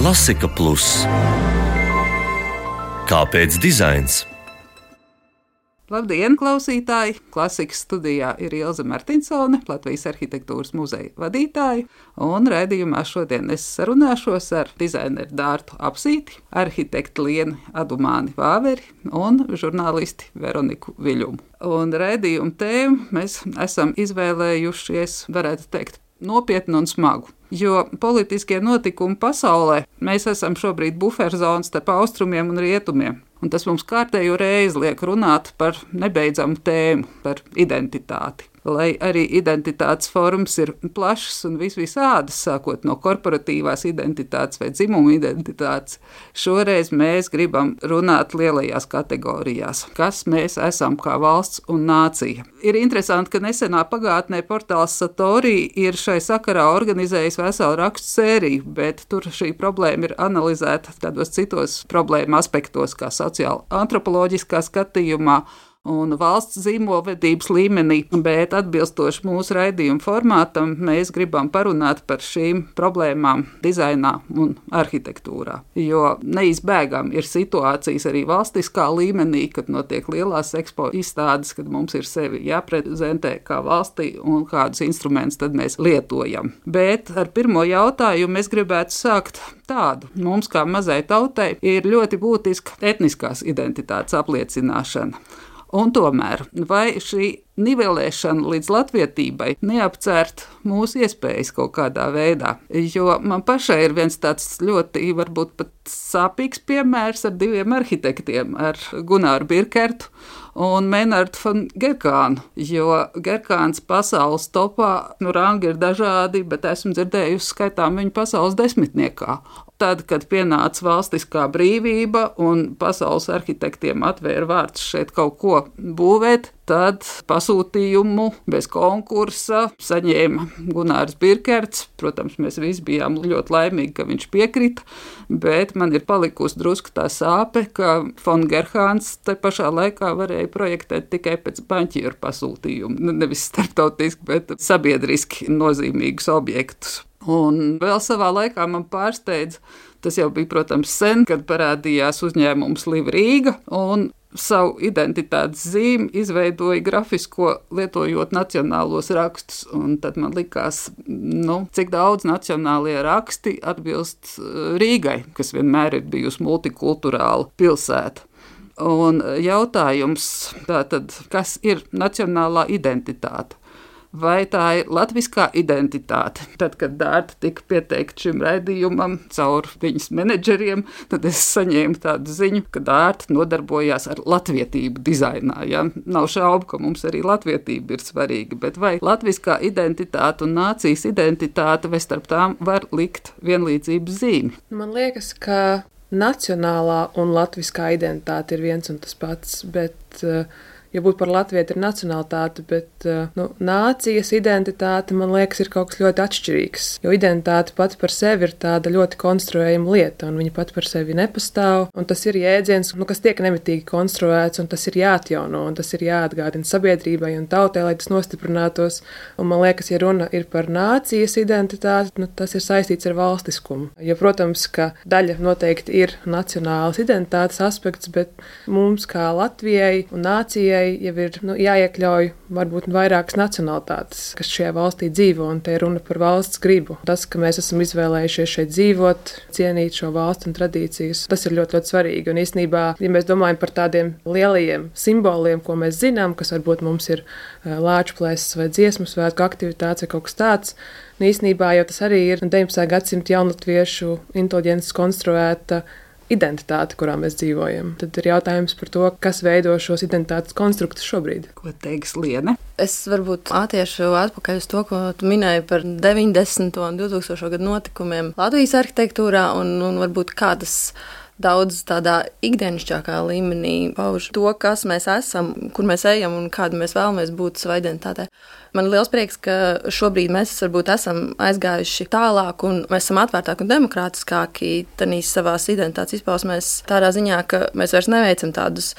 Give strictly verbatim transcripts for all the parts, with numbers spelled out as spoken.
Klasika Plus. Kāpēc dizains? Labdien, klausītāji! Klasikas studijā ir Ilze Martinsone, Latvijas arhitektūras muzeja vadītāja, un raidījumā šodien es sarunāšos ar dizaineru Dārtu Apsīti, arhitektu Lienu Adumāni Vāveri un žurnālisti Veroniku Viļumu. Un raidījuma tēmu mēs esam izvēlējušies, varētu teikt, nopietnu un smagu. Jo politiskie notikumi pasaulē, mēs esam šobrīd buferzonas starp austrumiem un rietumiem. Un tas mums kārtējo reizi liek runāt par nebeidzamu tēmu, par identitāti. Lai arī identitātes formas ir plašas un visvisādas, sākot no korporatīvās identitātes vai dzimuma identitātes, šoreiz mēs gribam runāt lielajās kategorijās, kas mēs esam kā valsts un nācija. Ir interesanti, ka nesenā pagātnē portāls Satori ir šai sakarā organizējis veselu rakstu sēriju, bet tur šī problēma ir analizēta tādos citos problēma aspektos, kā sociāla antropoloģiskā skatījumā un valsts zīmolvedības līmenī, bet atbilstoši mūsu raidījuma formātam mēs gribam parunāt par šīm problēmām dizainā un arhitektūrā. Jo neizbēgam ir situācijas arī valstiskā līmenī, kad notiek lielās ekspo izstādes, kad mums ir sevi jāprezentē kā valstī un kādus instrumentus tad mēs lietojam. Bet ar pirmo jautājumu es gribētu sākt tādu. Mums kā mazai tautai ir ļoti būtiska etniskās identitātes apliecināšana. Un tomēr, vai šī nivelēšana līdz latvietībai neapcērt mūsu iespējas kaut kādā veidā? Jo man pašai ir viens tāds ļoti, varbūt pat sāpīgs piemērs ar diviem arhitektiem, ar Gunāru Birkertu un Meinhardu von Gerkānu, jo Gerkāns pasaules topā, nu rangi ir dažādi, bet esmu dzirdējusi skaitām viņu pasaules desmitniekā. Tad, kad pienāca valstiskā brīvība un pasaules arhitektiem atvēra vārtus šeit kaut ko būvēt, tad pasūtījumu bez konkursa saņēma Gunārs Birkerts. Protams, mēs visi bijām ļoti laimīgi, ka viņš piekrita, bet man ir palikusi drusku tā sāpe, ka von Gerhāns te pašā laikā varēja projektēt tikai pēc baņķieru pasūtījumu. Nevis starptautiski, bet sabiedriski nozīmīgus objektus. Un vēl savā laikā man pārsteidza, tas jau bija, protams, sen, kad parādījās uzņēmums Liv Rīga un savu identitātes zīmi izveidoja grafisko, lietojot nacionālos rakstus. Un tad man likās, nu, cik daudz nacionālie raksti atbilst Rīgai, kas vienmēr ir bijusi multikulturāla pilsēta. Un jautājums tātad, kas ir nacionālā identitāte? Vai tā ir latviskā identitāte? Tad, kad Dārta tika pieteikta šim raidījumam caur viņas menedžeriem, tad es saņēmu tādu ziņu, ka Dārta nodarbojās ar latvietību dizainā. Ja? Nav šaubu, ka mums arī latvietība ir svarīga, bet vai latviskā identitāte un nācijas identitāte, vai starp tām var likt vienlīdzības zīmi? Man liekas, ka nacionālā un latviskā identitāte ir viens un tas pats, bet ja būtu par latviešu ir nacionalitāte, bet nu, nācijas identitāte, man liekas, ir kaut kas ļoti atšķirīgs. Jo identitāte pati par sevi ir tāda ļoti konstruējama lieta, un viņa pati par sevi nepastāv. Un tas ir jēdziens, nu, kas tiek nemitīgi konstruēts, un tas ir jāatjauno, un tas ir jāatgādina sabiedrībai un tautai, lai tas nostiprinātos. Un man liekas, ja runa ir par nācijas identitāti, nu, tas ir saistīts ar valstiskumu. Jo, protams, ka daļa noteikti ir nacionālas identitātes aspekts, bet mums kā Latvijai un nācijai jau ir nu, jāiekļauj varbūt vairākas nacionalitātes, kas šajā valstī dzīvo, un te ir runa par valsts gribu. Tas, ka mēs esam izvēlējušies šeit dzīvot, cienīt šo valstu un tradīcijas, tas ir ļoti, ļoti svarīgi. Un īstenībā, ja mēs domājam par tādiem lielajiem simboliem, ko mēs zinām, kas varbūt mums ir lāčplēses vai dziesmu svētku aktivitātes vai kaut kas tāds, un īstenībā jau tas arī ir deviņpadsmitā gadsimta jaunatviešu inteliģences konstruēta identitāte, kurā mēs dzīvojam. Tad ir jautājums par to, kas veido šos identitātes konstruktus šobrīd. Ko teiks Liene? Es varbūt attiešu atpakaļ uz to, ko tu minēji par deviņdesmito un divtūkstošo gadu notikumiem Latvijas arhitektūrā un, un varbūt kādas daudz tādā ikdienišķākā līmenī pauž to, kas mēs esam, kur mēs ejam un kāda mēs vēlamies būt savā identitātē. Man ir liels prieks, ka šobrīd mēs varbūt esam aizgājuši tālāk un mēs esam atvērtāki un demokrātiskāki tanīs savās identitātes izpausmēs tādā ziņā, ka mēs vairs neveicam tādus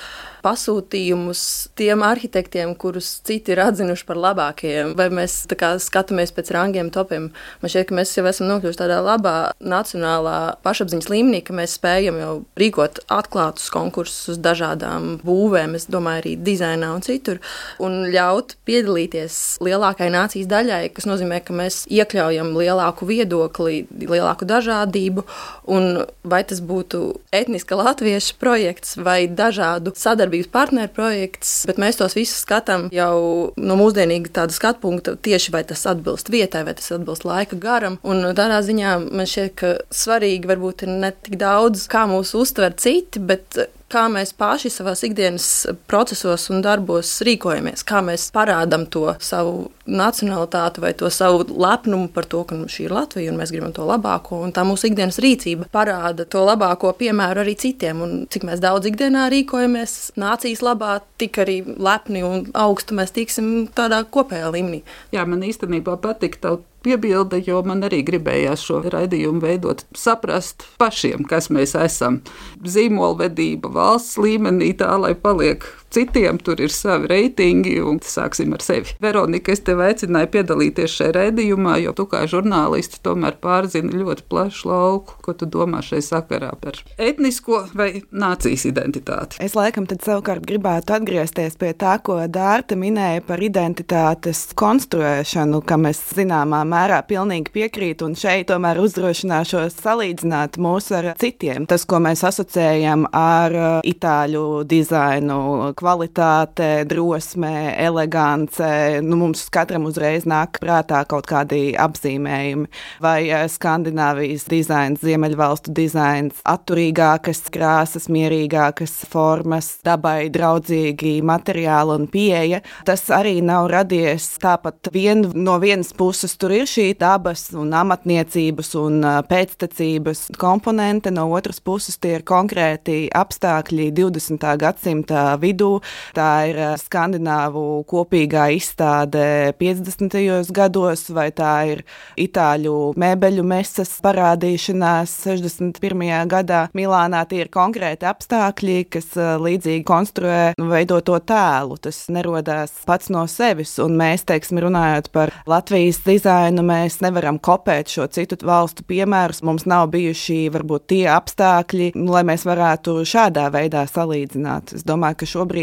pasūtījumus tiem arhitektiem, kurus citi ir atzinuši par labākajiem, vai mēs tā kā skatāmies pēc rangiem, topiem. Man šķiet, ka mēs jau esam nokļuvuši tādā labā nacionālā pašapziņas līmenī, ka mēs spējam jau rīkot atklātus konkursus uz dažādām būvēm, es domāju, arī dizainā un citur, un ļaut piedalīties lielākai nācijas daļai, kas nozīmē, ka mēs iekļaujam lielāku viedokli, lielāku dažādību, un vai tas būtu etniska latviešu projekts vai dažādu sadarbības partneru projekts, bet mēs tos visus skatām jau no mūsdienīga tāda skatu punkta tieši vai tas atbilst vietai, vai tas atbilst laika garam, un tādā ziņā man šķiet, ka svarīgi varbūt ir ne tik daudz, kā mūs uztver citi, bet kā mēs paši savās ikdienas procesos un darbos rīkojamies, kā mēs parādam to savu nacionalitāti vai to savu lepnumu par to, ka šī ir Latvija un mēs gribam to labāko, un tā mūsu ikdienas rīcība parāda to labāko piemēru arī citiem, un cik mēs daudz ikdienā rīkojamies nācijas labā, tik arī lepni un augstu mēs tiksim tādā kopējā līmenī. Jā, man īstenībā patika tavu piebilde, jo man arī gribējās šo raidījumu veidot, saprast pašiem, kas mēs esam. Zīmolvedība valsts līmenī tā, lai paliek citiem, tur ir savi reitingi, un sāksim ar sevi. Veronika, es tevi aicināju piedalīties šajā raidījumā, jo tu kā žurnālisti tomēr pārzini ļoti plašu lauku, ko tu domā šai sakarā par etnisko vai nācijas identitāti. Es laikam tad savukārt gribētu atgriezties pie tā, ko Dārta minēja par identitātes konstruēšanu, kam es zināmā mērā pilnīgi piekrītu, un šeit tomēr uzdrošināšos salīdzināt mūs ar citiem. Tas, ko mēs asociējam ar itāļu dizainu, kvalitāte, drosme, elegance, nu mums katram uzreiz nāk prātā kaut kādi apzīmējumi. Vai Skandināvijas dizains, Ziemeļvalstu dizains, atturīgākas krāsas, mierīgākas formas, dabai draudzīgi materiāli un pieeja. Tas arī nav radies tāpat vien no vienas puses tur ir šī dabas un amatniecības un pēctecības komponente, no otras puses tie ir konkrēti apstākļi divdesmitā gadsimta vidū. Tā ir skandināvu kopīgā izstāde piecdesmitajos gados, vai tā ir itāļu mēbeļu meses parādīšanās sešdesmit pirmajā gadā Milānā. Tie ir konkrēti apstākļi, kas līdzīgi konstruē, veido to tēlu. Tas nerodās pats no sevis, un mēs, teiksim, runājot par Latvijas dizainu, mēs nevaram kopēt šo citu valstu piemērus. Mums nav bijuši varbūt tie apstākļi, lai mēs varētu šādā veidā salīdzināt. Es domāju, ka šobrīd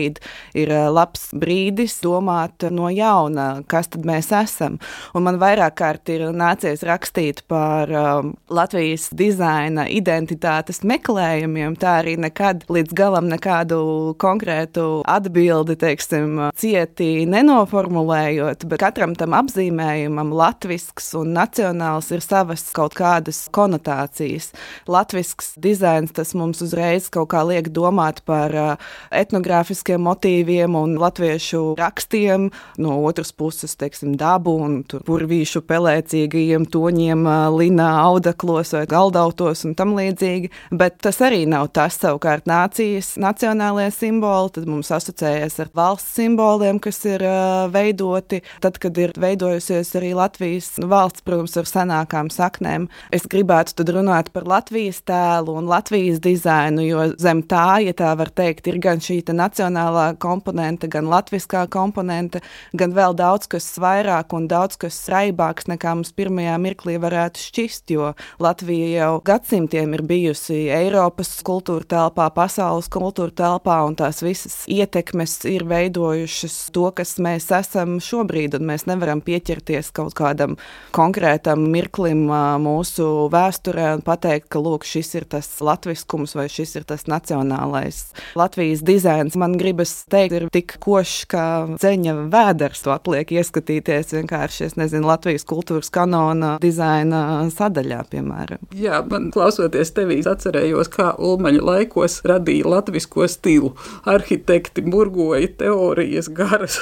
ir labs brīdis domāt no jauna, kas tad mēs esam. Un man vairāk kārt ir nācies rakstīt par um, Latvijas dizaina identitātes meklējumiem, tā arī nekad līdz galam nekādu konkrētu atbildi, teiksim, cieti nenoformulējot, bet katram tam apzīmējumam latvisks un nacionāls ir savas kaut kādas konotācijas. Latvisks dizains, tas mums uzreiz kaut kā liek domāt par uh, etnogrāfiskiem motīviem un latviešu rakstiem, no otras puses, teiksim, dabu un tur purvīšu pelēcīgajiem toņiem linā audaklos vai galdautos un tam līdzīgi, bet tas arī nav tas savukārt nācijas nacionālajie simboli, tad mums asociējas ar valsts simboliem, kas ir uh, veidoti, tad, kad ir veidojusies arī Latvijas valsts, protams, ar senākām saknēm. Es gribētu tad runāt par Latvijas tēlu un Latvijas dizainu, jo zem tā, ja tā var teikt, ir gan šī nacionālā komponente, gan latviskā komponente, gan vēl daudz kas vairāk un daudz kas raibāks nekā mums pirmajā mirklī varētu šķist, jo Latvija jau gadsimtiem ir bijusi Eiropas kultūra telpā, pasaules kultūra telpā, un tās visas ietekmes ir veidojušas to, kas mēs esam šobrīd, un mēs nevaram pieķerties kaut kādam konkrētam mirklim mūsu vēsturē un pateikt, ka lūk, šis ir tas latviskums vai šis ir tas nacionālais. Latvijas dizains, man gribas teikt, ir tik košs, kā dzeņa vēders, to atliek ieskatīties vienkārši, es nezinu, Latvijas kultūras kanona dizaina sadaļā, piemēram. Jā, man klausoties tevī, atcerējos, kā Ulmaņa laikos radīja latvisko stilu. Arhitekti murgoja teorijas garas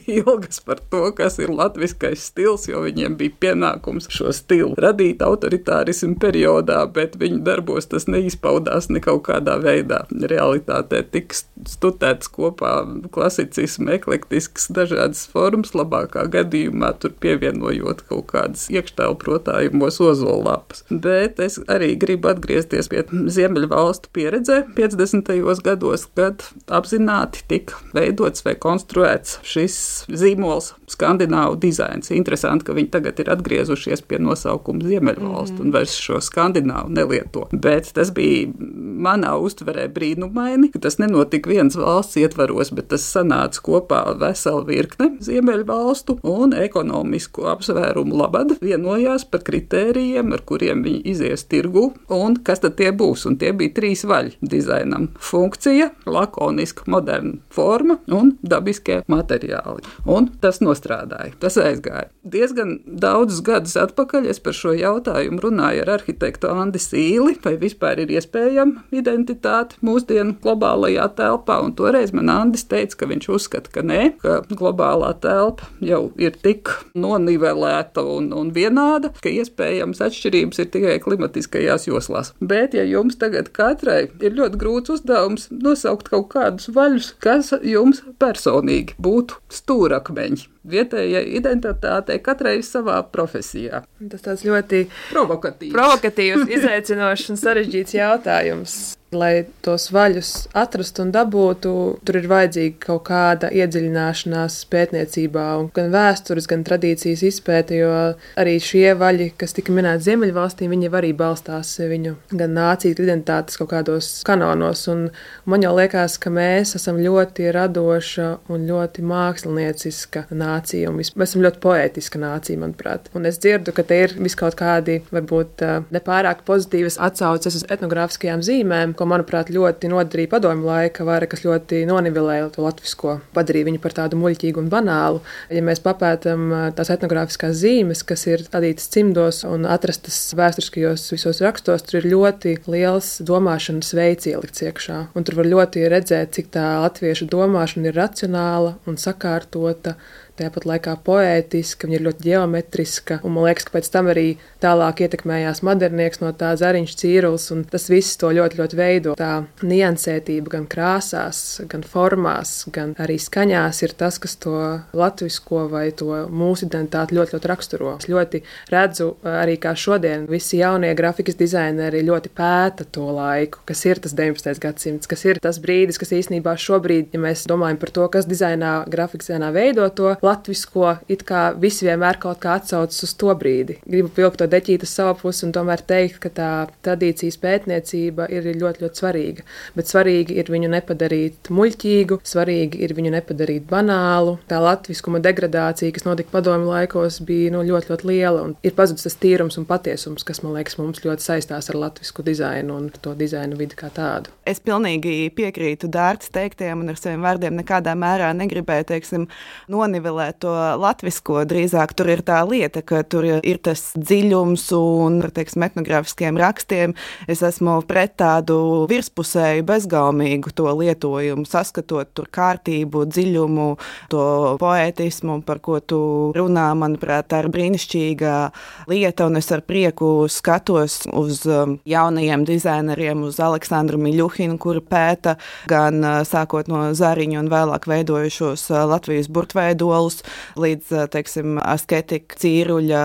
ilgas par to, kas ir latviskais stils, jo viņiem bija pienākums šo stilu radīt autoritārismu periodā, bet viņu darbos tas neizpaudās ne kaut kādā veidā. Realitātē tik studēt sanāca kopā klasicismu, eklektisks, dažādas formas, labākā gadījumā tur pievienojot kaut kādas iekštelprotājumos ozolapas. Bet es arī gribu atgriezties pie Ziemeļvalstu pieredzē piecdesmitajos gados, kad apzināti tika veidots vai konstruēts šis zīmols skandināvu dizains. Interesanti, ka viņi tagad ir atgriezušies pie nosaukuma Ziemeļvalstu mm. un vairs šo skandināvu nelieto. Bet tas bija manā uztverē brīnumaini, ka tas nenotika viens valsts ietvaros, bet tas sanāca kopā vesela virkne Ziemeļvalstu un ekonomisku apsvērumu labad vienojās par kritērijiem, ar kuriem viņi izies tirgu un kas tad tie būs. Un tie bija trīs vaļi dizainam - funkcija, lakoniska, moderna forma un dabiskie materiāli. Un tas nostrādāja, tas aizgāja. Diezgan daudzus gadus atpakaļ es par šo jautājumu runāju ar arhitektu Andi Sīli, vai vispār ir iespējama identitāte mūsdienu globālajā telpā, un toreiz man Andis teica, ka viņš uzskata, ka nē, ka globālā telpa jau ir tik nonivelēta un, un vienāda, ka iespējams atšķirības ir tikai klimatiskajās joslās. Bet, ja jums tagad katrai ir ļoti grūts uzdevums nosaukt kaut kādus vaļus, kas jums personīgi būtu stūrakmeņi vietējai identitātei katrai savā profesijā. Tas tāds ļoti provokatīvs, provokatīvs izaicinošs un sarežģīts jautājums. Lai tos vaļus atrastu un dabūtu, tur ir vajadzīga kaut kāda iedziļināšanās pētniecībā, un gan vēstures, gan tradīcijas izpēte, jo arī šie vaļi, kas tika minēti Ziemeļvalstīm, viņi arī balstās viņu gan nācijas identitātes kaut kādos kanonos, un man jau liekas, ka mēs esam ļoti radoša un ļoti mākslinieciska nācija, un mēs esam ļoti poētiska nācija, manuprāt. Un es dzirdu, ka te ir viskaut kādi, varbūt nepārāk pozitīvas atsauces uz etnogrāfiskajām zīmēm, ko, manuprāt, ļoti nodarīja padomju laika vara, kas ļoti nonivelēja to latvisko, padarīja viņu par tādu muļķīgu un banālu. Ja mēs papētam tās etnogrāfiskās zīmes, kas ir adītas cimdos un atrastas vēsturiskajos visos rakstos, tur ir ļoti liels domāšanas veids ielikts iekšā. Un tur var ļoti redzēt, cik tā latviešu domāšana ir racionāla un sakārtota, tāpat laikā poētiska, viņa ir ļoti ģeometriska, un man liekas, ka pēc tam arī tālāk ietekmējās modernieks no tā Zariņš Cīruls, un tas viss to ļoti, ļoti veido. Tā niansētība gan krāsās, gan formās, gan arī skaņās ir tas, kas to latvisko vai to mūsu identitāti ļoti, ļoti raksturo. Es ļoti redzu arī, kā šodien visi jaunie grafikas dizaineri ļoti pēta to laiku, kas ir tas deviņpadsmitais gadsimts, kas ir tas brīdis, kas īstenībā šobrīd, ja mēs domājam par to, kas dizainā, grafikas dizainā veido to latvisko, it kā visi vienmēr kaut kā atsaucas uz to brīdi. Gribu vilkt to deķīt uz savu pusi un tomēr teikt, ka tā tradīcijas pētniecība ir ļoti, ļoti svarīga. Bet svarīgi ir viņu nepadarīt muļķīgu, svarīgi ir viņu nepadarīt banālu. Tā latviskuma degradācija, kas notika padomju laikos, bija nu, ļoti, ļoti liela. Un ir pazudis tas tīrums un patiesums, kas, man liekas, mums ļoti saistās ar latvisku dizainu un to dizainu vidi kā tādu. Es pilnīgi piekrītu Dārtas teiktiem un ar saviem vārdiem nekādā mērā negribēju, teiksim, nonivelēt to latvisko, drīzāk tur ir tā lieta, ka tur ir tas dziļums un, teiksim, etnogrāfiskiem rakstiem. Es esmu pret tādu virspusēju bezgaumīgu to lietojumu, saskatot tur kārtību, dziļumu, to poētismu, par ko tu runā, manuprāt, tā ir brīnišķīga lieta, un es ar prieku skatos uz jaunajiem dizaineriem, uz Aleksandru Miļuhinu, kuru pēta gan sākot no Zariņa un vēlāk veidojušos Latvijas burtveidolus, līdz, teiksim, asketika Cīruļa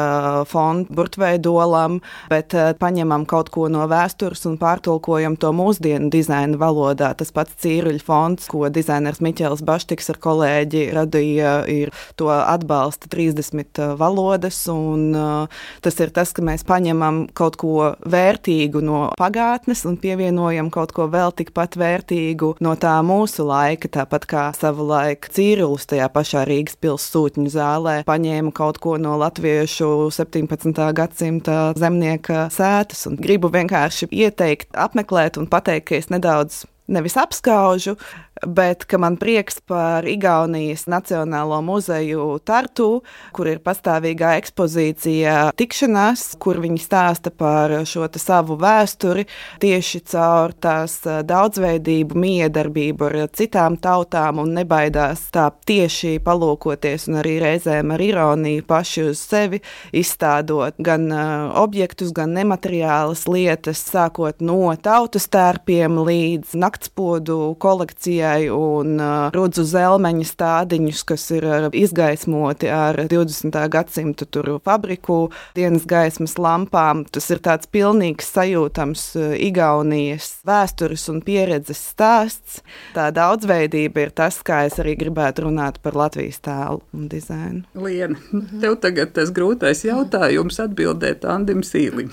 fonda burtveidolam, bet paņemam kaut ko no vēstures un pārtulkojam to mūsdienu dizaina valodā. Tas pats Cīruļa fonds, ko dizainers Miķels Baštiks ar kolēģi radīja, ir to atbalsta trīsdesmit valodas, un uh, tas ir tas, ka mēs paņemam kaut ko vērtīgu no pagātnes un pievienojam kaut ko vēl tikpat vērtīgu no tā mūsu laika, tāpat kā savu laiku Cīrulis tajā pašā Rīgas pils sūtņu zālē paņēma kaut ko no latviešu septiņpadsmitā gadsimta zemnieka sētas, un gribu vienkārši ieteikt, apmeklēt un pateikt, ka es nedaudz nevis apskaužu, bet ka man prieks par Igaunijas Nacionālo muzeju Tartu, kur ir pastāvīgā ekspozīcija tikšanās, kur viņi stāsta par šo te savu vēsturi tieši caur tās daudzveidību, miedarbību ar citām tautām un nebaidās tā tieši palūkoties un arī reizēm ar ironiju paši uz sevi izstādot gan objektus, gan nemateriālas lietas, sākot no tautas tērpiem līdz naktspodu kolekcijām Latvijai un uh, rudzu zelmeņa stādiņus, kas ir uh, izgaismoti ar divdesmitā gadsimta turu fabriku dienas gaismas lampām. Tas ir tāds pilnīgs sajūtams uh, Igaunijas vēstures un pieredzes stāsts. Tā daudzveidība ir tas, kā es arī gribētu runāt par Latvijas tēlu un dizainu. Liena, tev tagad tas grūtais jautājums atbildēt Andim Sīlim.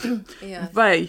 Vai,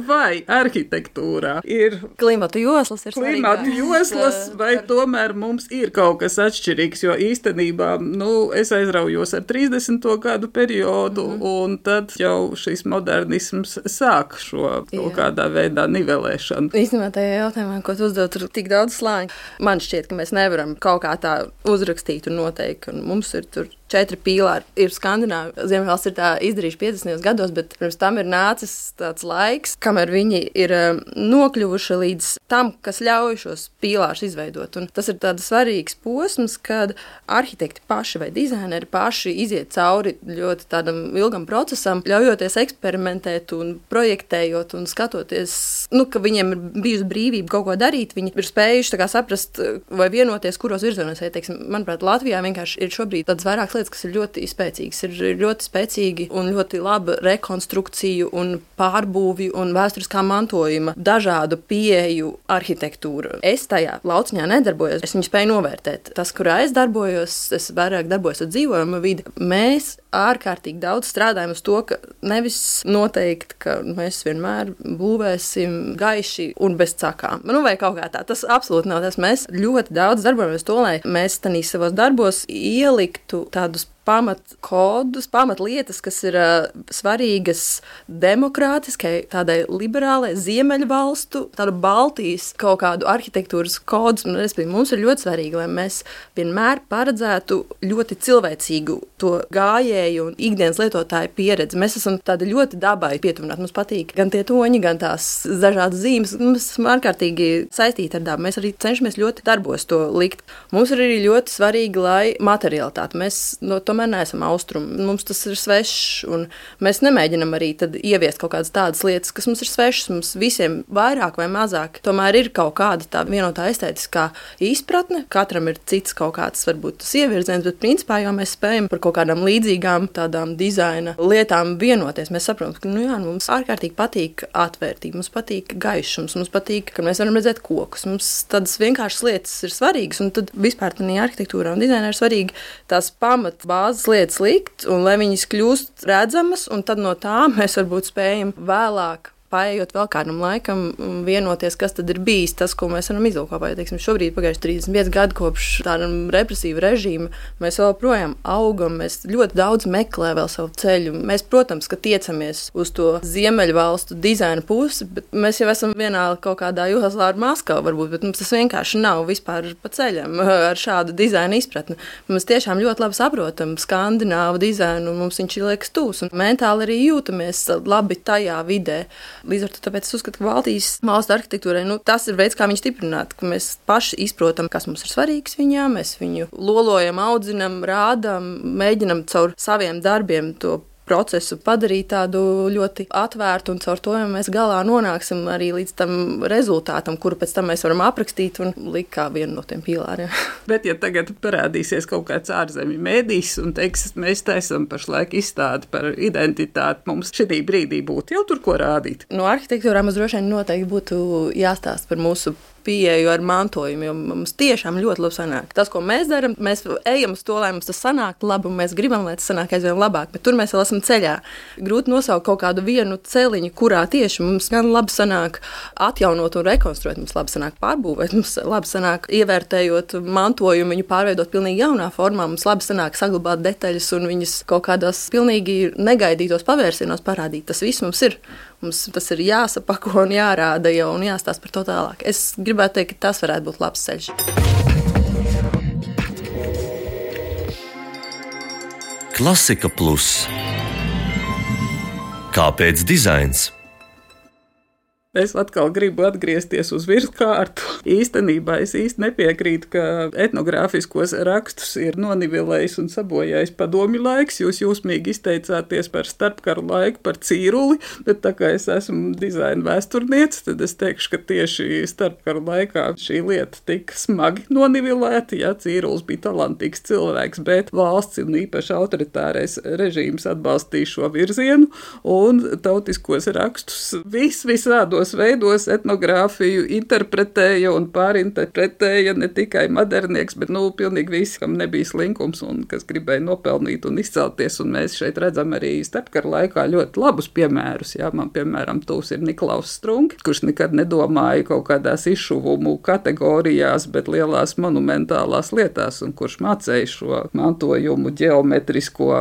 vai arhitektūrā ir klimatu joslas, ir klimatu joslas, vai tomēr mums ir kaut kas atšķirīgs, jo īstenībā, nu, es aizraujos ar trīsdesmito gadu periodu, mm. un tad jau šis modernisms sāk šo kaut kādā veidā nivelēšanu. Īstenībā tajā jautājumā, ko tu uzdod, tur tik daudz slāņu. Man šķiet, ka mēs nevaram kaut kā tā uzrakstīt un noteikt, un mums ir tur četri pīlāri. Ir Skandināvi, Ziemeļvalsts ir tā izdarījuši piecdesmitajos gados, bet pirms tam ir nācis tāds laiks, kamēr viņi ir um, nokļuvuši līdz tam, kas ļauj šos pīlārus izveidot. Un tas ir tāds svarīgs posms, kad arhitekti paši vai dizaineri paši iziet cauri ļoti tādam ilgam procesam, ļaujoties eksperimentēt un projektējot un skatoties, nu, ka viņiem ir bijusi brīvība kaut ko darīt, viņi ir spējuši tā kā saprast vai vienoties, kuros virzienos iet. Teiksim, manuprāt, Latvijā vienkārši ir šobrīd tāds vairākas lietas, kas ir ļoti spēcīgas, ir ļoti spēcīgi un ļoti laba rekonstrukciju un pārbūvju un vēsturiskā mantojuma dažādu pieeju arhitektūru. Es tajā lauciņā nedarbojos, es viņu spēju novērtēt. Tas, kurā es darbojos, es vairāk darbojos ar dzīvojumu vidi. Mēs ārkārtīgi daudz strādājam uz to, ka nevis noteikt, ka mēs vienmēr būvēsim gaiši un bez cakām. Nu, vai kaut kā tā. Tas absolūti nav tas. Mēs ļoti daudz darbojamies to, lai mēs tanīs savos darbos ieliktu tādus pamatkodus, pamatlietas, kas ir uh, svarīgas demokrātiskai, tādai liberālai Ziemeļvalstu, tādu Baltijas kaut kādu arhitektūras kodus. Un, respektīvi, mums ir ļoti svarīgi, lai mēs vienmēr paredzētu ļoti cilvēcīgu to gājēju un ikdienas lietotāju pieredzi. Mēs esam tādi ļoti dabai pietuvināti. Mums patīk gan tie toņi, gan tās dažādas zīmes. Mēs esam ārkārtīgi saistīti ar dabu. Mēs arī cenšamies ļoti darbos to likt. Mums ir arī ļoti svarīgi, lai materialitāte. Mēs no to tomēr neesam austrumi. Mums tas ir svešs, un mēs nemēģinam arī tad ieviest kaut kādas tādas lietas, kas mums ir svešas. Mums visiem vairāk vai mazāk tomēr ir kaut kāda tā vienotā estētiskā izpratne. Katram ir cits kaut kāds, varbūt tas ievirziens, bet principā jau mēs spējam par kaut kādām līdzīgām tādām dizaina lietām vienoties. Mēs saprotam, ka nu jā, mums ārkārtīgi patīk atvērtība, mums patīk gaišums, mums patīk, ka mēs varam redzēt kokus. Mums tādas vienkāršas lietas ir svarīgas, un tad vispār tādā arhitektūrā un dizainā ir svarīgi tās pamat bāzes lietas likt, un lai viņas kļūst redzamas, un tad no tā mēs varbūt spējam vēlāk, paējot vēl kādam laikam, vienoties, kas tad ir bijis tas, ko mēs varam izlūkot. Vai, teiksim, šobrīd pagājuši trīsdesmit pieci gadi kopš tādam represīva režīma, mēs vēl projām augam, mēs ļoti daudz meklē vēl savu ceļu. Mēs, protams, ka tiecamies uz to Ziemeļvalstu dizaina pusi, bet mēs jau esam vienā kaut kādā joslā ar Maskavu varbūt, bet mums tas vienkārši nav vispār pa ceļam ar šādu dizaina izpratni. Mēs tiešām ļoti labi saprotam skandināvu dizainu, un mums viņš liekas tūs, un mentāli arī jūtamies labi tajā vidē. Līdz ar to tāpēc es uzskatu, ka Baltijas valstu arhitektūrai, nu, tas ir veids, kā viņu stiprināt, ka mēs paši izprotam, kas mums ir svarīgs viņā, mēs viņu lolojam, audzinam, rādam, mēģinam caur saviem darbiem to procesu padarīt tādu ļoti atvērtu, un caur to mēs galā nonāksim arī līdz tam rezultātam, kuru pēc tam mēs varam aprakstīt un likt kā vienu no tiem pīlāriem. Bet, ja tagad parādīsies kaut kāds ārzemju mēdījis un teiks, mēs taisam pašlaik izstādi par identitāti, mums šī brīdī būtu jau tur ko rādīt. No arhitektūrām mums droši vien noteikti būtu jāstāst par mūsu pieeju ar mantojumu, jo mums tiešām ļoti labi sanāk. Tas, ko mēs darām, mēs ejam uz to, lai mums tas sanāk labi, un mēs gribam, lai tas sanāk aizvien labāk, bet tur mēs vēl esam ceļā. Grūti nosaukt kaut kādu vienu celiņu, kurā tieši mums gan labi sanāk atjaunot un rekonstruēt, mums labi sanāk pārbūvēt, mums labi sanāk ievērtējot mantojumu, viņu pārveidot pilnīgi jaunā formā, mums labi sanāk saglabāt detaļas un viņas kaut kādās pilnīgi negaidītos pavērsienos parādīt. Tas viss mums ir. Mums tas ir jāsapako un jārāda jau un jāstāst par to tālāk. Es gribētu teikt, ka tas varētu būt labs ceļš. Klasika plus. Kāpēc dizains? Es atkal gribu atgriezties uz virskārtu. Īstenībā es īsti nepiekrītu, ka etnogrāfiskos rakstus ir nonivelējis un sabojājis padomju laiks. Jūs jūsmīgi izteicāties par starpkaru laiku, par cīruli, bet tā kā es esmu dizaina vēsturniece, tad es teikšu, ka tieši starpkaru laikā šī lieta tika smagi nonivelēta. Jā, cīrulis bija talantīgs cilvēks, bet valsts un īpaši autoritārais režīms atbalstīja šo virzienu un tautiskos rakstus vis visādos veidos etnogrāfiju interpretēja un pārinterpretēja ne tikai modernieks, bet, nu, pilnīgi visi, kam nebija slinkums un kas gribēja nopelnīt un izcelties, un mēs šeit redzam arī starpkara laikā ļoti labus piemērus, jā, man, piemēram, tūs ir Niklaus Strunke, kurš nekad nedomāja kaut kādās izšuvumu kategorijās, bet lielās monumentālās lietās, un kurš mācēja šo mantojumu ģeometrisko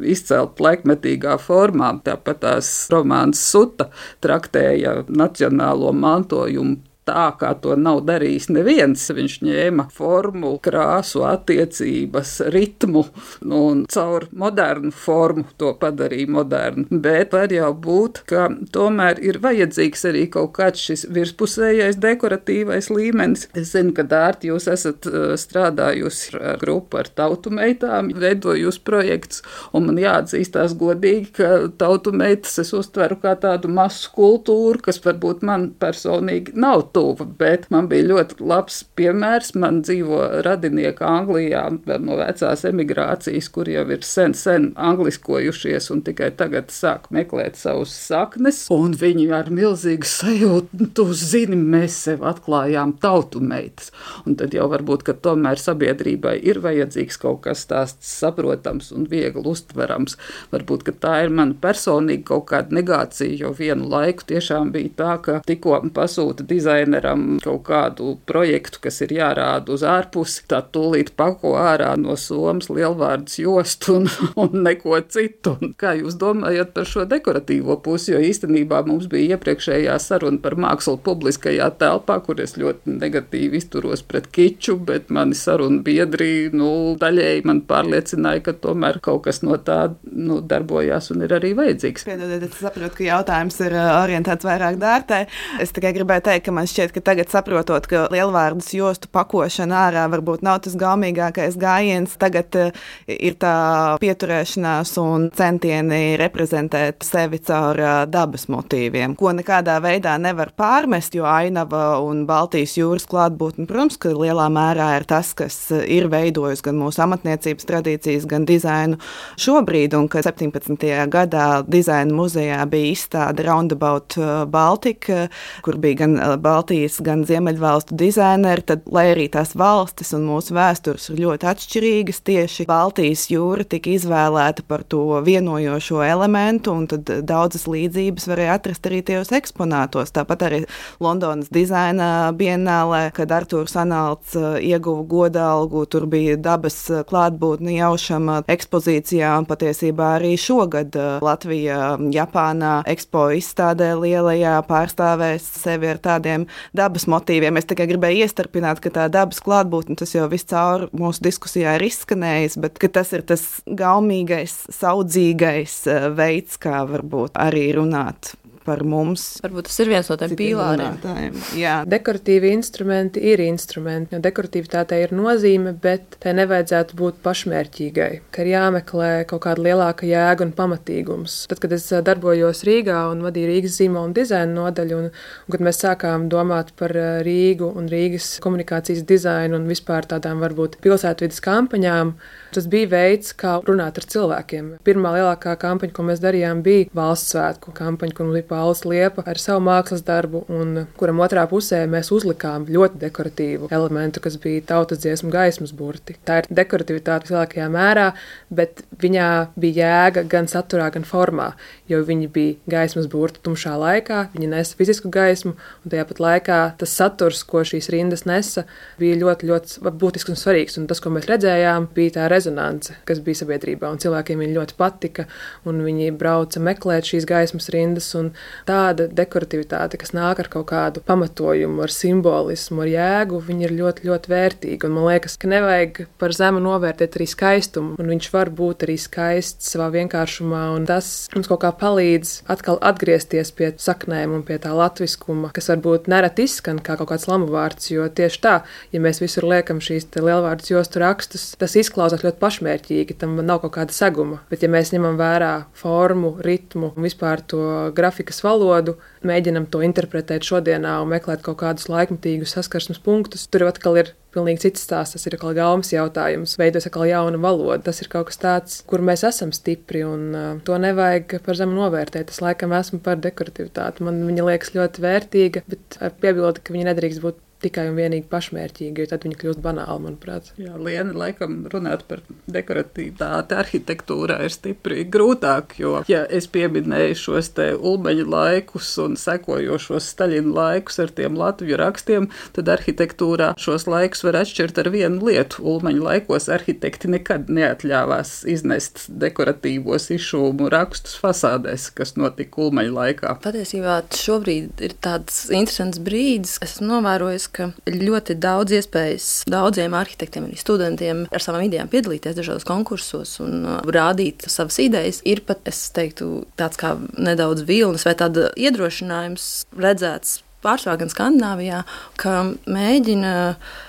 izcelt laikmetīgā formā, tāpat tās romāns Suta traktēja nacionālo mantojumu tā, kā to nav darījis neviens. Viņš ņēma formu, krāsu, attiecības, ritmu un caur modernu formu to padarīja modernu. Bet var jau būt, ka tomēr ir vajadzīgs arī kaut kāds šis virspusējais dekoratīvais līmenis. Es zinu, ka Dārti, jūs esat strādājusi ar grupu ar tautu meitām, veidojusi projekts, un man jāatzīstās godīgi, ka tautu meitas es uztveru kā tādu masu kultūru, kas varbūt man personīgi nav tuva, bet man bija ļoti labs piemērs. Man dzīvo radinieki Anglijā no vecās emigrācijas, kur jau ir sen, sen angliskojušies un tikai tagad sāk meklēt savus saknes, un viņi ar milzīgu sajūtu, tu zini, mēs sev atklājām tautu meitas, un tad jau varbūt, ka tomēr sabiedrībai ir vajadzīgs kaut kas tāds saprotams un viegli uztverams. Varbūt, ka tā ir mana personīga kaut kāda negācija, jo vienu laiku tiešām bija tā, ka tikko pasūta dizaineram kaut kādu projektu, kas ir jārāda uz ārpusi, tā tūlīt pako ārā no somas lielvārdus jostu un, un neko citu. Un kā jūs domājat par šo dekoratīvo pusi, jo īstenībā mums bija iepriekšējā saruna par mākslu publiskajā telpā, kur es ļoti negatīvi izturos pret kiču, bet mani saruna biedri, nu, daļēji man pārliecināja, ka tomēr kaut kas no tā, nu, darbojās un ir arī vajadzīgs. Piedodiet, es saprotu, ka jautājums ir orientēts vairāk Dārtai. Es tikai gribēju teikt, ka man šķiet, ka tagad saprotot, ka lielvārdus jostu pakošana ārā varbūt nav tas gaumīgākais gājiens. Tagad uh, ir tā pieturēšanās un centieni reprezentēt sevi caur uh, dabas motīviem, ko nekādā veidā nevar pārmest, jo ainava un Baltijas jūras klātbūtne, protams, ka lielā mērā ir tas, kas ir veidojis gan mūsu amatniecības tradīcijas, gan dizainu šobrīd, un ka septiņpadsmitajā gadā dizaina muzejā bija izstāde Roundabout Baltica, kur bija gan Baltijas, gan Ziemeļvalstu dizaineri, tad, lai arī tās valstis un mūsu vēstures ir ļoti atšķirīgas, tieši Baltijas jūra tika izvēlēta par to vienojošo elementu, un tad daudzas līdzības varēja atrast arī tajos eksponātos. Tāpat arī Londonas dizaina bienālē, kad Artūrs Analts ieguva godalgu, tur bija dabas klātbūtne jaušama ekspozīcijā, un patiesībā arī šogad Latvija Japānā ekspo izstādē lielajā pārstāvēs sevi ar tādiem dabas motīviem. Es tikai gribēju iestarpināt, ka tā dabas klātbūtne, tas jau viss caur mūsu diskusijā ir izskanējis, bet ka tas ir tas gaumīgais, saudzīgais veids, kā varbūt arī runāt par mums. Varbūt tas ir viens no tiem pīlāriem. Jā. Dekoratīvi instrumenti ir instrumenti, jo dekorativitātei ir nozīme, bet tai nevajadzētu būt pašmērķīgai, ka ir jāmeklē kaut kāda lielāka jēga un pamatīgums. Tad, kad es darbojos Rīgā un vadīju Rīgas zīmola un dizaina nodaļu, un, un kad mēs sākām domāt par Rīgu un Rīgas komunikācijas dizainu un vispār tādām varbūt pilsētvides kampaņām, tas bija veids, kā runāt ar cilvēkiem. Pirmā lielākā kampaņa, ko mēs darījām, bija valsts svētku kampaņa, kur bija Pauls Liepa ar savu mākslas darbu, un kuram otrā pusē mēs uzlikām ļoti dekoratīvu elementu, kas bija tautas dziesmu gaismas burti. Tā ir dekorativitāte lielākajā mērā, bet viņā bija jēga gan saturā, gan formā, jo viņi bija gaismas burti tumšā laikā, viņi nesa fizisku gaismu, un tajā pat laikā tas saturs, ko šīs rindas nesa, bija ļoti, ļoti būtisks un svarīgs, un tas, ko mēs redzējām, bija tā rezonance, kas bija sabiedrībā, un cilvēkiem viņi ļoti patika, un viņi brauca meklēt šīs gaismas rindas, un tāda dekorativitāte, kas nāk ar kaut kādu pamatojumu, ar simbolismu, ar jēgu, viņa ir ļoti, ļoti vērtīga. Un man liekas, ka nevajag par zemu novērtēt arī skaistumu, un viņš var būt arī skaists savā vienkāršumā, un tas mums kaut kā palīdz atkal atgriezties pie saknēm un pie tā latviskuma, kas varbūt nereti izskan kā kaut kāds lamuvārds, jo tieši tā, ja mēs visur liekam šīs te lielvārdus jostu rakstus, tas izklausās ļoti pašmērķīgi, tam nav kaut kāda seguma, bet ja mēs ņemam vērā formu, ritmu un vispār to grafikas valodu, mēģinam to interpretēt šodienā un meklēt kaut kādus laikmatīgus saskarsmes punktus, tur jau atkal ir pilnīgi cits stāsts, tas ir atkal gaumas jautājums, veidojas atkal jauna valoda, tas ir kaut kas tāds, kur mēs esam stipri un uh, to nevajag par zemu novērtēt. Es laikam esmu par dekorativitāti, man viņa liekas ļoti vērtīga, bet ar piebildi, ka viņa nedrīkst būt tikai un vienīgi pašmērķīgi, jo tad viņi kļūst banāli, manuprāt. Jā, Liena, laikam runāt par dekorativitāti arhitektūrā ir stipri grūtāk, jo, ja es pieminēju šos te ulmeņu laikus un sekojošos Staļina laikus ar tiem latviešu rakstiem, tad arhitektūrā šos laikus var atšķirt ar vienu lietu. Ulmeņu laikos arhitekti nekad neatļāvās iznest dekoratīvos izšūmu rakstus fasādēs, kas notika ulmeņu laikā. Patiesībā šobrīd ir tāds interesants brīdis. Es novērojis, ka ļoti daudz iespējas daudziem arhitektiem, arī studentiem ar savām idejām piedalīties dažādos konkursos un rādīt savas idejas. Ir pat, es teiktu, tāds kā nedaudz vilnis vai tāda iedrošinājums redzēts pārsvarā gan Skandināvijā, ka mēģina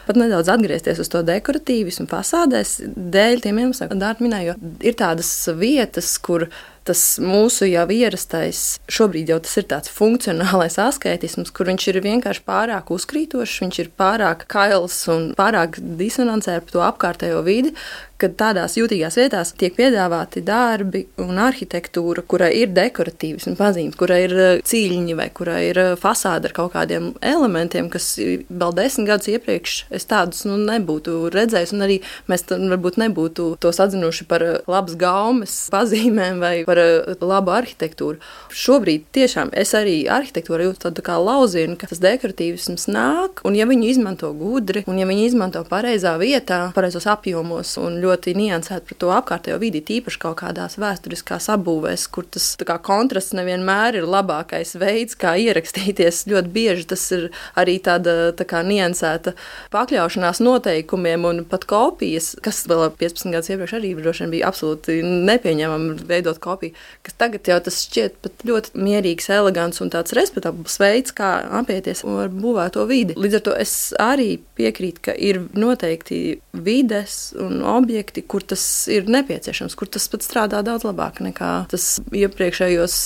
pat nedaudz atgriezties uz to dekoratīvismu fasādēs dēļ tiem iemesliem, ko Dārta minēja, jo ir tādas vietas, kur tas mūsu jau ierastais, šobrīd jau tas ir tāds funkcionālais asketisms, kur viņš ir vienkārši pārāk uzkrītošs, viņš ir pārāk kails un pārāk disonancē ar to apkārtējo vidi, kad tādās jūtīgās vietās tiek piedāvāti darbi un arhitektūra, kurai ir dekoratīvismu pazīmes, kurai ir cīļņi vai kurai ir fasāde ar kaut kādiem elementiem, kas vēl desmit gadus iepriekš es tādus nu, nebūtu redzējis, un arī mēs varbūt nebūtu tos atzinuši par labas gaumes pazīmēm vai par labu arhitektūru. Šobrīd tiešām es arī arhitektūru jūtu tādu kā lauzienu, ka tas dekoratīvisms nāk, un ja viņi izmanto gudri, un ja viņi izmanto pareizā vietā, pareizos apjomos un ļoti niansēt par to apkārtējo vidi, tīpaši kaut kādās vēsturiskās apbūvēs, kur tas tā kā kontrasts nevienmēr ir labākais veids, kā ierakstīties. Ļoti bieži tas ir arī tāda tā kā niansēta pakļaušanās noteikumiem un pat kopijas, kas vēl piecpadsmit gadus iepriekš arī droši vien bija absolūti nepieņemama veidot kopiju, kas tagad jau tas šķiet pat ļoti mierīgs, elegants un tāds respektabls veids, kā apieties ar būvēto vidi. Līdz ar to es arī piekrītu, ka ir noteikti vides un objekti, kur tas ir nepieciešams, kur tas pat strādā daudz labāk nekā tas iepriekšējos,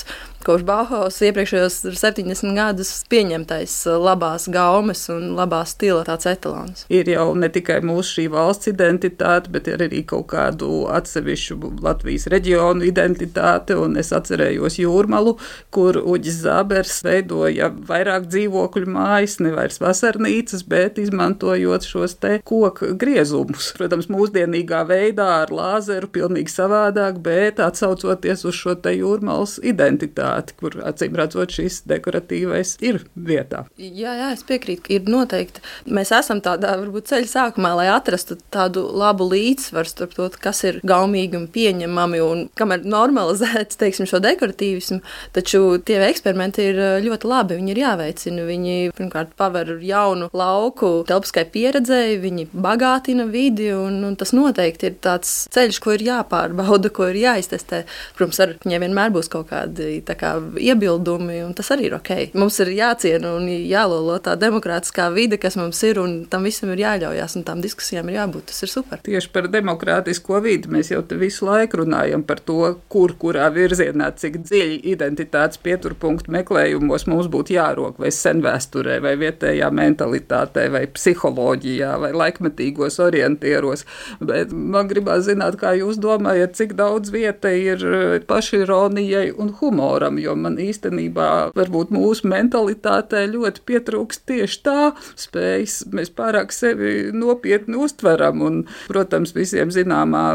kopš Bauhaus iepriekšējos septiņdesmit gadus pieņemtais labās gaumes un labā stila tāds etalons. Ir jau ne tikai mūsu šī valsts identitāte, bet ir arī kaut kādu atsevišķu Latvijas reģionu identitāte, un es atcerējos Jūrmalu, kur Uģis Zābers veidoja vairāk dzīvokļu mājas, ne vairs vasarnīcas, bet izmantojot šos te koku griezumus. Protams, mūsdienīgā veidā ar lāzeru pilnīgi savādāk, bet atsaucoties uz šo te Jūrmalas identitāti, kur acīm redzot šis dekoratīvais ir vietā. Jā, jā, es piekrītu, ka ir noteikti. Mēs esam tādā, varbūt, ceļa sākumā, lai atrastu tādu labu līdzsvaru starp to, kas ir gaumīgi un pieņemami un kamēr normalizēts, teiksim, šo dekoratīvismu, taču tie eksperimenti ir ļoti labi, viņi ir jāveicina, viņi, pirmkārt, paver jaunu lauku telpiskai pieredzēji, viņi bagātina vidi un, un tas noteikti ir tāds ceļš, ko ir jāpārbauda, ko ir jāiztestē. Protams, ar viņiem vienmēr būs kaut kādi tā kā iebildumi, un tas arī ir ok. Mums ir jāciena un jālolo tā demokrātiskā vide, kas mums ir, un tam visam ir jāļaujās, un tām diskusijām ir jābūt. Tas ir super. Tieši par demokrātisko vidi mēs jau te visu laiku runājam par to, kur, kurā virzienā, cik dziļi identitātes pieturpunktu meklējumos mums būtu jārok, vai senvēsturē, vai vietējā mentalitātē, vai psiholoģijā, vai laikmetīgos orientieros. Bet man gribās zināt, kā jūs domājat, cik daudz vieta ir pašironijai un humoram, jo man īstenībā varbūt mūsu mentalitātē ļoti pietrūkst tieši tā spējas. Mēs pārāk sevi nopietni uztveram un, protams, visiem zināmā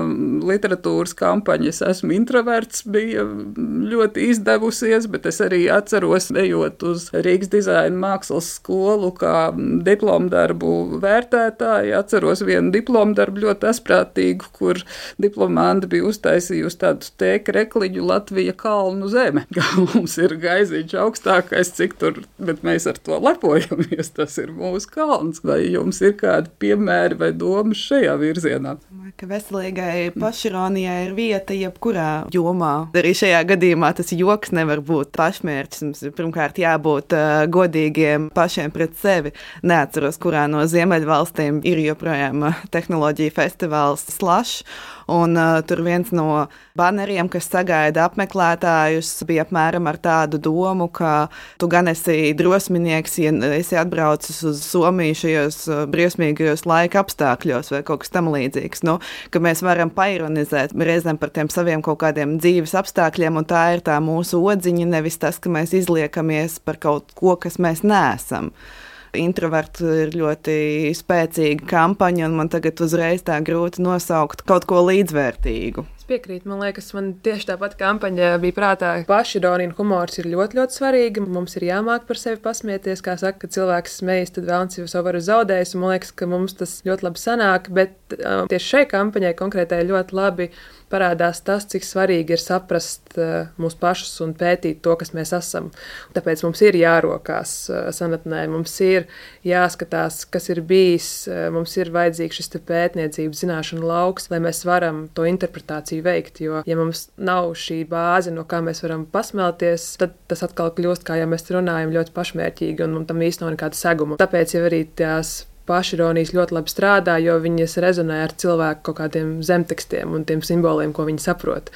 literatūras kampaņa Es esmu introverts bija ļoti izdevusies, bet es arī atceros, ejot uz Rīgas dizaina mākslas skolu kā diplomdarbu vērtētāji, atceros vienu diplomdarbu ļoti asprātīgu, kur diplomanti bija uztaisījusi tādu tēku rekliņu Latvija kalnu zeme. ka mums ir gaiziņš augstākais, cik tur, bet mēs ar to lepojamies, tas ir mūsu kalns. Vai jums ir kādi piemēri vai domas šajā virzienā? Ka veselīgai pašironijai ir vieta jebkurā jomā. Arī šajā gadījumā tas joks nevar būt pašmērķis. Mums ir pirmkārt jābūt uh, godīgiem pašiem pret sevi. Neatceros, kurā no Ziemeļvalstīm ir joprojām uh, tehnoloģija festivāls Slash. Un uh, tur viens no baneriem, kas sagaida apmeklētājus, bija apmēram ar tādu domu, ka tu gan esi drosminieks, ja esi atbraucis uz Somiju šajos uh, briesmīgajos laika apstākļos vai kaut kas tam līdzīgs. Nu, ka mēs varam paironizēt reizēm par tiem saviem kaut kādiem dzīves apstākļiem, un tā ir tā mūsu odziņa, nevis tas, ka mēs izliekamies par kaut ko, kas mēs neesam. Introverti ir ļoti spēcīga kampaņa, un man tagad uzreiz tā grūti nosaukt kaut ko līdzvērtīgu. Piekrīt, man liekas, man tieši tāpat kampaņa bija prātā. Pašironija un humors ir ļoti, ļoti svarīgi. Mums ir jāmāk par sevi pasmieties, kā saka, ka cilvēks smejas, tad vēlns jau savu varu zaudējis, un man liekas, ka mums tas ļoti labi sanāk, bet uh, tieši šai kampaņai konkrētai ļoti labi parādās tas, cik svarīgi ir saprast uh, mūs pašus un pētīt to, kas mēs esam. Tāpēc mums ir jārokās uh, sanatnē, mums ir jāskatās, kas ir bijis, uh, mums ir vajadzīgs šis te pētniecības zināšanu lauks, lai mēs varam to interpretāciju veikt, jo, ja mums nav šī bāze, no kā mēs varam pasmelties, tad tas atkal kļūst, kā jau mēs runājam, ļoti pašmērķīgi, un, un tam īsti nav nekāda seguma. Tāpēc jau arī tās pašironijas ļoti labi strādā, jo viņas rezonē ar cilvēku kaut kādiem zemtekstiem un tiem simboliem, ko viņi saprot.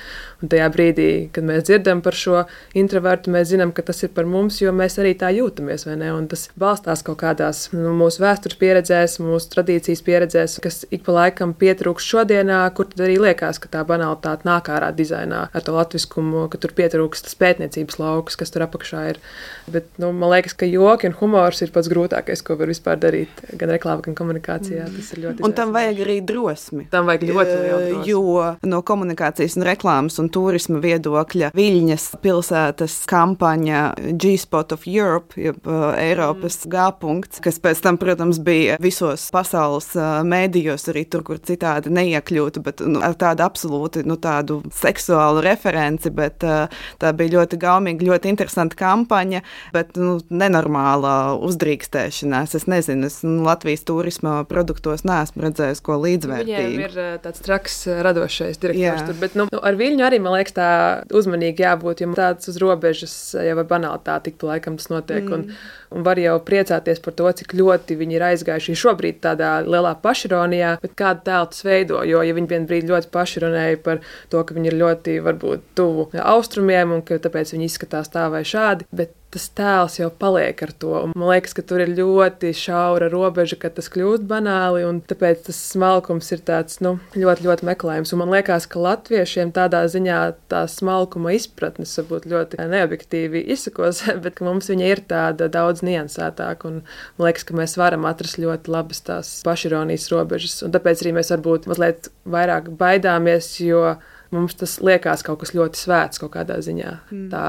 Un tajā brīdī, kad mēs dzirdam par šo introvertu, mēs zinām, ka tas ir par mums, jo mēs arī tā jūtamies, vai ne? Un tas balstās kaut kādās nu, mūsu vēstures pieredzēs, mūsu tradīcijas pieredzēs, kas ik pa laikam pietrūks šodienā, kur tad arī liekas, ka tā banalitāte nāk ārā dizainā ar to latviskumu, ka tur pietrūks tas pētniecības lauks, kas tur apakšā ir. Bet, nu, man liekas, ka joki un humors ir pats grūtākais, ko var vispār darīt, gan reklāmā, gan komunikācijā. Tas ir ļoti un tam vajag arī drosmi. Tam vajag ļoti lielu drosmi. Jo no komunikācijas un reklāmas un turisma viedokļa Viļņas pilsētas kampaņa G-Spot of Europe, jeb uh, Eiropas mm. G-punkts, kas pēc tam, protams, bija visos pasaules uh, mēdījos, arī tur, kur citādi neiekļūtu, bet nu, ar tādu absolūti nu, tādu seksuālu referenci, bet uh, tā bija ļoti gaumīga, ļoti interesanta kampaņa, bet nu, nenormāla uzdrīkstēšanās. Es nezinu, es nu, Latvijas turisma produktos neesmu redzējis ko līdzvērtīgu. Viņiem ir tāds traks radošais direktors tur, bet nu, ar Viļņu arī, man liekas, tā uzmanīgi jābūt, jo tāds uz robežas jau ar banalitāti tik pa laikam tas notiek, mm. un, un var jau priecāties par to, cik ļoti viņi ir aizgājuši šobrīd tādā lielā pašironijā, bet kādu tēlu tas veido, jo ja viņi vien brīdi ļoti pašironēja par to, ka viņi ir ļoti, varbūt, tuvu austrumiem un ka tāpēc viņi izskatās tā vai šādi, bet tas tēls jau paliek ar to. Un man liekas, ka tur ir ļoti šaura robeža, ka tas kļūst banāli, un tāpēc tas smalkums ir tāds, nu, ļoti, ļoti meklējums. Un man liekas, ka latviešiem tādā ziņā tā smalkuma izpratnes varbūt ļoti neobjektīvi izsakos, bet ka mums viņa ir tāda daudz niansētāka, un man liekas, ka mēs varam atrast ļoti labas tās pašironijas robežas. Un tāpēc arī mēs varbūt mazliet vairāk baidāmies, jo mums tas liekas kaut kas ļoti svēts kaut kādā ziņā. Mm. Tā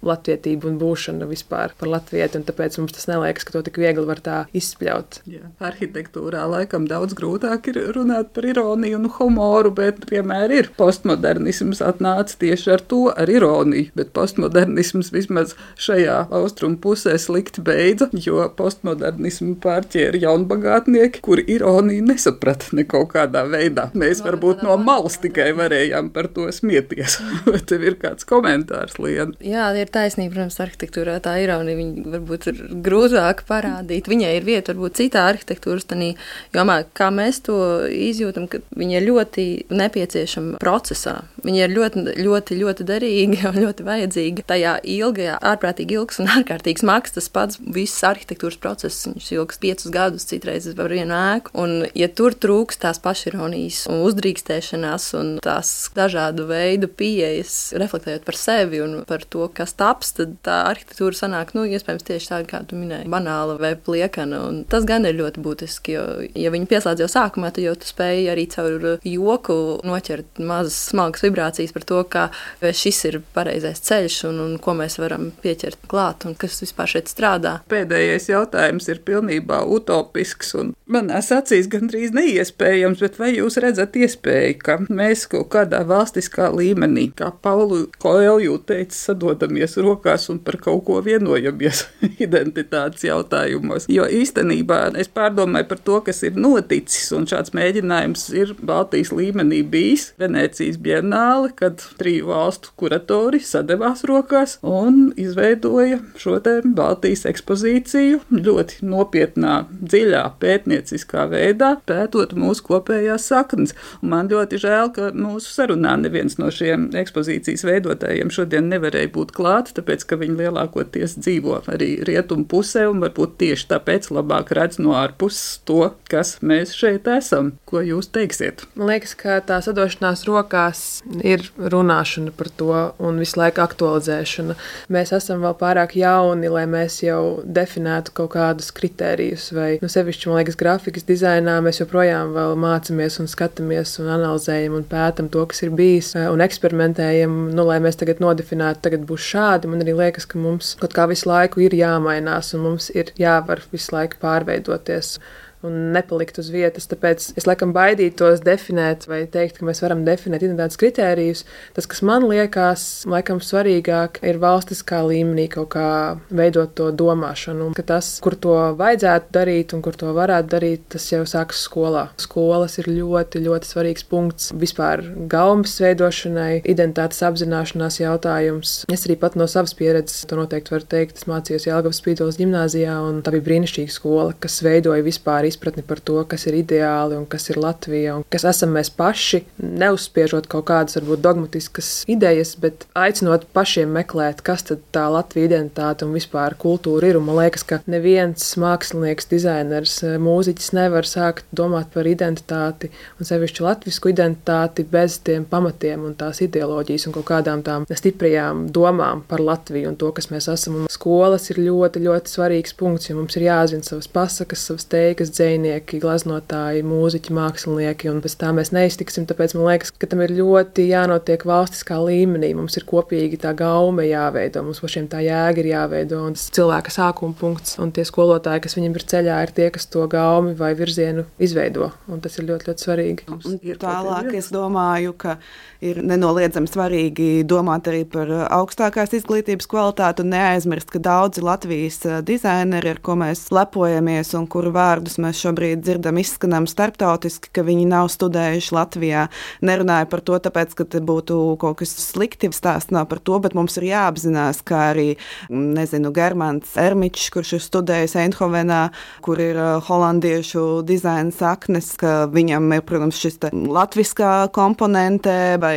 latvietība un būšana vispār par latvieti, un tāpēc mums tas neliekas, ka to tik viegli var tā izspļaut. Jā, arhitektūrā laikam daudz grūtāk ir runāt par ironiju un humoru, bet vienmēr ir. Postmodernisms atnāca tieši ar to, ar ironiju, bet postmodernisms vismaz šajā austrumu pusē slikti beidza, jo postmodernismu pārķēra jaunbagātnieki, kuri ironiju nesaprata ne kaut kādā veidā. Mēs varbūt no malas tikai varējām par to smieties. Vai tev ir kāds komentārs, Liena? Jā, ir taisnība, protams, arhitektūrā tā ironija, viņa varbūt ir grūtāk parādīt. Viņai ir vieta, varbūt citā arhitektūras tanī jomā, kā mēs to izjūtam, ka viņa ir ļoti nepieciešama procesā. Viņa ir ļoti, ļoti, ļoti derīga un ļoti vajadzīga. Tajā ilgajā, ārprātīgi ilgs un ārkārtīgi smags tas pats viss arhitektūras process. Viņš ilgs piecus gadus, citreiz par vienu ēku. Un, ja tur trūks tās pašironijas un uzdrīkstēšanās un tās dažādu veidu pieejas, reflektējot par sevi un par to, kas taps, tad tā arhitektūra sanāk, nu, iespējams tieši tāda, kā tu minēji, banāla vai pliekana. Un tas gan ir ļoti būtiski, jo, ja viņi pieslēdz jau sākumā, tad jau tu spēji arī caur joku noķert mazas smalkas vibrācijas vibrācijas par to, ka šis ir pareizais ceļš un, un ko mēs varam pieķert klāt un kas vispār šeit strādā. Pēdējais jautājums ir pilnībā utopisks un manās acīs gandrīz neiespējams, bet vai jūs redzat iespēju, ka mēs kaut kādā valstiskā līmenī, kā Paulu Koelju teica, sadodamies rokās un par kaut ko vienojamies identitātes jautājumos? Jo īstenībā es pārdomāju par to, kas ir noticis, un šāds mēģinājums ir Baltijas līmenī bijis Venēcijas bienāle, kad triju valstu kuratori sadevās rokās un izveidoja šo te Baltijas ekspozīciju ļoti nopietnā, dziļā, pētnieciskā veidā, pētot mūsu kopējās saknes. Un man ļoti žēl, ka mūsu sarunā neviens no šiem ekspozīcijas veidotājiem šodien nevarēja būt klāt, tāpēc, ka viņi lielākoties dzīvo arī rietumu pusē un varbūt tieši tāpēc labāk redz no ārpuses to, kas mēs šeit esam. Ko jūs teiksiet? Man liekas, ka tā sadošanās rokās ir runāšana par to un visu laiku aktualizēšana. Mēs esam vēl pārāk jauni, lai mēs jau definētu kaut kādus kritērijus vai, nu, sevišķi, man liekas, grafikas dizainā mēs joprojām vēl mācamies un skatāmies un analizējam un pētam to, kas ir bijis un eksperimentējam, nu, lai mēs tagad nodefinētu, tagad būs šādi. Man arī liekas, ka mums kaut kā visu laiku ir jāmainās un mums ir jāvar visu laiku pārveidoties un nepalikt uz vietas. Tāpēc es laikam baidītos definēt vai teikt, ka mēs varam definēt identitātes kritērijus. Tas, kas man liekas, laikam svarīgāk, ir valstiskā līmenī kaut kā veidot to domāšanu. Ka tas, kur to vajadzētu darīt un kur to varētu darīt, tas jau sākas skolā. Skolas ir ļoti, ļoti svarīgs punkts vispār gaumes veidošanai, identitātes apzināšanās jautājums. Es arī pat no savas pieredzes to noteikti varu teikt. Es mācījos Jelgavas Spīdoles ģimnāzijā un tā bija brīnišķīga skola, kas veidoja vispār izpratni par to, kas ir ideāli un kas ir Latvija un kas esam mēs paši, neuzspiežot kaut kādas varbūt dogmatiskas idejas, bet aicinot pašiem meklēt, kas tad tā Latvija identitāte un vispār kultūra ir. Un man liekas, ka neviens mākslinieks, dizainers, mūziķis nevar sākt domāt par identitāti un sevišķi latvisku identitāti bez tiem pamatiem un tās ideoloģijas un kaut kādām tām stiprajām domām par Latviju un to, kas mēs esam. Un skolas ir ļoti, ļoti svarīgs punkts, jo mums ir jāzina savas pasakas, savas teikas, dzejnieki, gleznotāji, mūziķi, mākslinieki, un pēc tā mēs neiztiksim, tāpēc man liekas, ka tam ir ļoti jānotiek valstiskā līmenī. Mums ir kopīgi tā gaume jāveido, mums pašiem tā jēga ir jāveido, un tas cilvēka sākuma punkts, un tie skolotāji, kas viņam ir ceļā, ir tie, kas to gaumi vai virzienu izveido, un tas ir ļoti, ļoti svarīgi. Un tālāk es domāju, ka ir nenoliedzami svarīgi domāt arī par augstākās izglītības kvalitāti un neaizmirst, ka daudzi Latvijas dizaineri, ar ko mēs lepojamies un kuru vārdus mēs šobrīd dzirdam izskanam starptautiski, ka viņi nav studējuši Latvijā. Nerunāju par to, tāpēc, ka te būtu kaut kas slikti stāsts nav par to, bet mums ir jāapzinās, kā arī, nezinu, Germans Ermičs, kurš ir studējis Eindhovenā, kur ir holandiešu dizaina saknes, ka viņam ir, protams, šis te latviskā komponente vai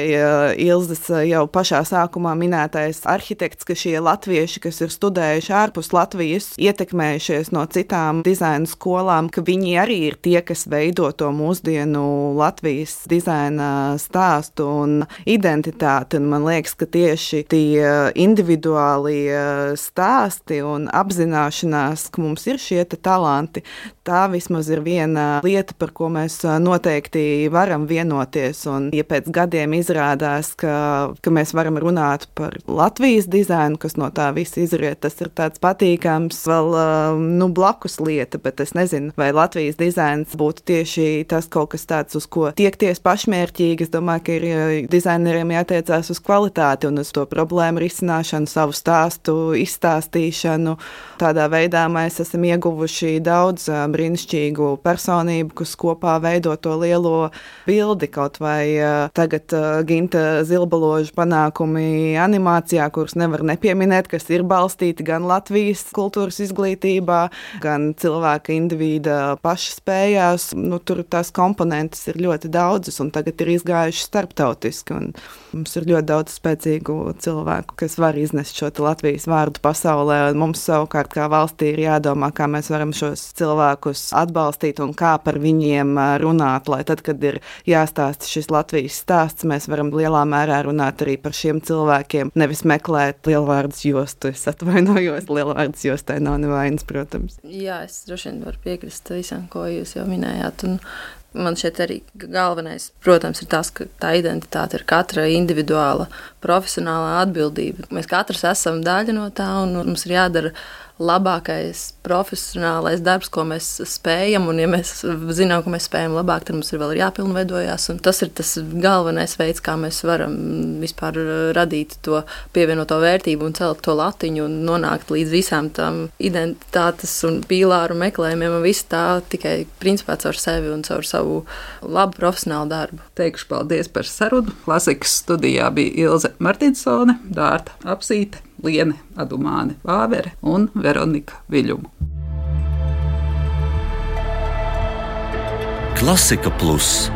Ilzes jau pašā sākumā minētais arhitekts, ka šie latvieši, kas ir studējuši ārpus Latvijas, ietekmējušies no citām dizaina skolām, ka viņi arī ir tie, kas veido to mūsdienu Latvijas dizaina stāstu un identitāti. Un man liekas, ka tieši tie individuālie stāsti un apzināšanās, ka mums ir šie talanti, tā vismaz ir viena lieta, par ko mēs noteikti varam vienoties. Un ja pēc gadiem izrādās, ka, ka mēs varam runāt par Latvijas dizainu, kas no tā visa izriet, tas ir tāds patīkams vēl, nu, blakus lieta, bet es nezinu, vai Latvijas dizains būtu tieši tas kaut kas tāds, uz ko tiekties pašmērķīgi. Es domāju, ka ir dizaineriem jātiecās uz kvalitāti un uz to problēmu risināšanu, savu stāstu izstāstīšanu. Tādā veidā mēs esam ieguvuši daudz brīnišķīgu personību, kas kopā veido to lielo bildi, kaut vai tagad Ginta Zilbaloža panākumi animācijā, kurus nevar nepieminēt, kas ir balstīti gan Latvijas kultūras izglītībā, gan cilvēka individa paša spējās. Nu, tur tās komponentes ir ļoti daudzas un tagad ir izgājuši starptautiski. Un mums ir ļoti daudz spēcīgu cilvēku, kas var iznest šo Latvijas vārdu pasaulē. Un mums savukārt kā valstī ir jādomā, kā mēs varam šos cilvēkus atbalstīt un kā par viņiem runāt, lai tad, kad ir jāstāsta šis Latvijas stāsts, mēs varam lielā mērā runāt arī par šiem cilvēkiem, nevis meklēt lielvārdas jostu. Es atvainojos, lielvārdas jostai nav nevainas, protams. Jā, es droši vien varu piekrist visam, ko jūs jau minējāt. Un Man šeit arī galvenais, protams, ir tas, ka tā identitāte ir katra individuāla, profesionālā atbildība. Mēs katrs esam daļa no tā, un mums ir jādara labākais profesionālais darbs, ko mēs spējam, un ja mēs zinām, ka mēs spējam labāk, tad mums ir vēl jāpilnveidojās, un tas ir tas galvenais veids, kā mēs varam vispār radīt to pievienoto vērtību un celt to latiņu un nonākt līdz visām tām identitātes un pīlāru meklējumiem, un viss tā tikai principā caur sevi un caur savu labu profesionālu darbu. Teikšu paldies par sarunu. Klasikas studijā bija Ilze Martinsone, Dārta Apsīte, Liene Adumāne Vāvere un Veronika Viļuma. Klasika Plus.